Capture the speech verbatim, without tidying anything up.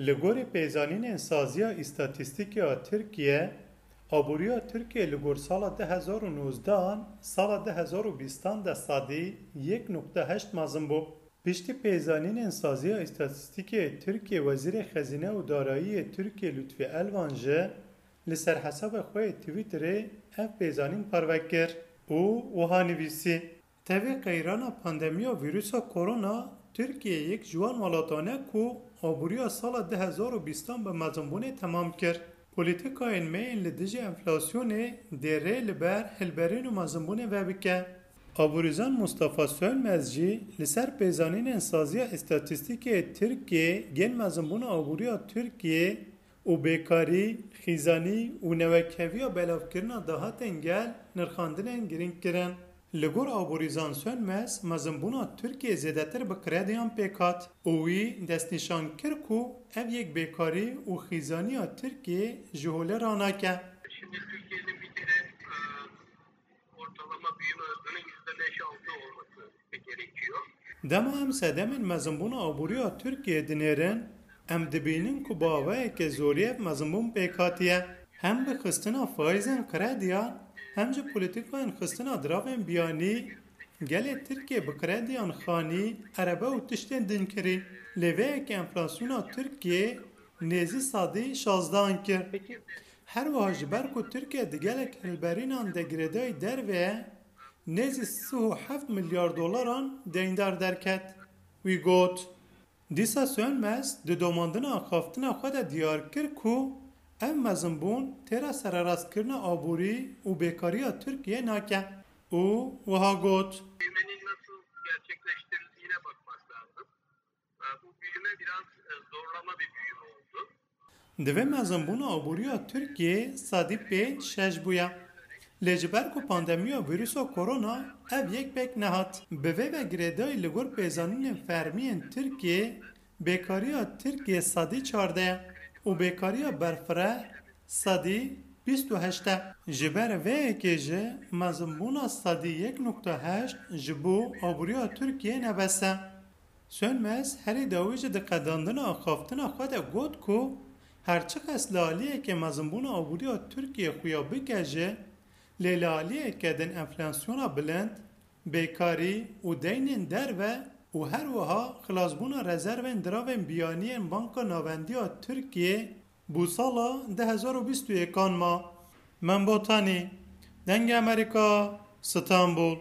Li gorî pêzanînên Saziya Îstatîstîkê ya Tirkiye, aboriya Tirkiye li gor sala du hezar û nozdehan, sala du hezar û bîstan de sedî yek nokte heşt mezin bû. Piştî pêzanînên Saziya Îstatîstîkê Tirkiye, Wezîrê Xezîne û Darayî yê Tirkiye Lutfî Elvan jî li ser hesabê xwe yê Twitterê ev pêzanîn parve kir û wiha nivîsî: Tevî qeyrana pandemiya vîrusa korona, Tirkiye yek ji wan welatan e ku aboriya sala du hezar û bîstan bi mezinbûnê temam kir. Polîtîkayên me yên li dijî enflasyonê dê rê li ber hilberîn û mezinbûnê vebike. Aborîzan Mustafa Sönmez jî li ser pêzanînên Saziya Îstatîstîkê Tirkiye yên mezinbûna aboriya Tirkiye û bêkarî, xîzanî û newekheviya belavkirina dahatên gel nirxandinên girîng kirin. Li gor Aborîzan Sönmez, mezinbûna Tirkiye zêdetir bi krediyan pêk hat û wî destnîşan kir ku ev yek bêkarî û xîzaniya Tirkiye ji holê ranake. Şimdi Türkiye'nin bir kere, e, ortalama büyüme hızının yüzde beş altı olması gerekiyor. Dema em sedemên mezinbûna aboriya Tirkiye dinêrin, em dibînin ku bi awayeke zorî ev mezinbûn pêk hatiye. Hem bi xistina faîzên krediyan, hem jî polîtîkayên xistina diravên biyanî, gelê Tirkiye bi krediyan xanî, erebe û tiştên din kirî. Lê vê yekê enflasyona Tirkiye nêzî sedî şazdehan kir. Her wiha ji ber ku Tirkiye di gelek hilberînan de girêdayî derve ye, nêzî sih û heft milyar dolaran deyndar derket. Wî got. Dîsa Sönmez di domandina axaftina xwe de diyar kir ku ev mezinbûn têra sererastkirina aborî û bêkariya Tirkiye nake û wiha got: Büyümenin nasıl gerçekleştirildiğine bakmak lazım. E, bu büyüme biraz, e, zorlama bir büyüme oldu. Divê mezinbûna aboriya Tirkiyê sedî pênc şeş bûye. Lê ji ber ku pandemiya vîrusa korona ev yek pêk nehat. Bi vê ve girêdayî li gor pêzanînên fermî yên Tirkiyê, bêkariya Tirkiyê sedî çardeh ye û bêkariya berfireh sedî bîst û heşt e. Ji ber vê yekê jî mezinbûna sedî yek nokte heşt ji bo aboriya Tirkiyê ne bes e. Sönmez herî dawî jî di qedandina axaftina xwe de got ku her çiqas li aliyeke mezinbûna aboriya Tirkiyê xuya bike jî, lê li aliyeke din enflasyona bilind, bêkarî û deynên derve û her wiha xilasbûna rezervên diravên biyanî yên Banka Navendî ya Tirkiyê bo sala du hezar û bîst û yekan ma. Membotanî, Dengê Amerîka, Stenbul.